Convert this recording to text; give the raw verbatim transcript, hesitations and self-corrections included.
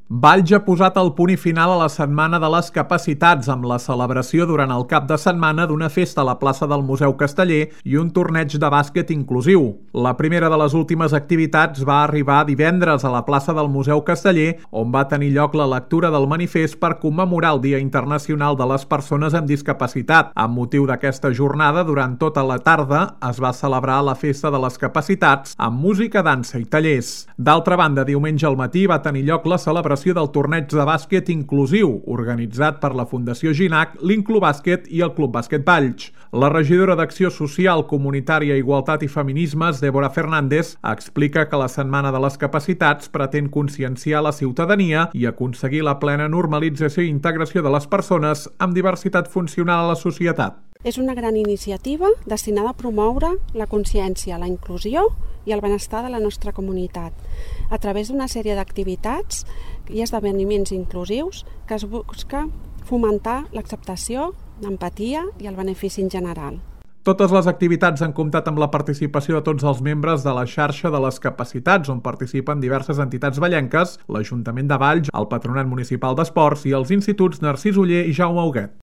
Valls ha posat el punt i final a la Setmana de les Capacitats amb la celebració durant el cap de setmana d'una festa a la plaça del Museu Casteller i un torneig de bàsquet inclusiu. La primera de les últimes activitats va arribar divendres a la plaça del Museu Casteller, on va tenir lloc la lectura del manifest per commemorar el Dia Internacional de les Persones amb Discapacitat. Amb motiu d'aquesta jornada, durant tota la tarda es va celebrar la Festa de les Capacitats amb música, dansa i tallers. D'altra banda, diumenge al matí va tenir lloc la celebració del torneig de bàsquet inclusiu, organitzat per la Fundació Ginac, l'Inclubàsquet i el Club Bàsquet Valls. La regidora d'Acció Social, Comunitària, Igualtat i Feminismes, Débora Fernández, explica que la Setmana de les Capacitats pretén conscienciar la ciutadania i aconseguir la plena normalització i integració de les persones amb diversitat funcional a la societat. És una gran iniciativa destinada a promoure la consciència, la inclusió i el benestar de la nostra comunitat a través d'una sèrie d'activitats i esdeveniments inclusius que es busca fomentar l'acceptació, l'empatia i el benefici en general. Totes les activitats han comptat amb la participació de tots els membres de la xarxa de les capacitats, on participen diverses entitats vallenques, l'Ajuntament de Valls, el Patronat Municipal d'Esports i els instituts Narcís Oller i Jaume Huguet.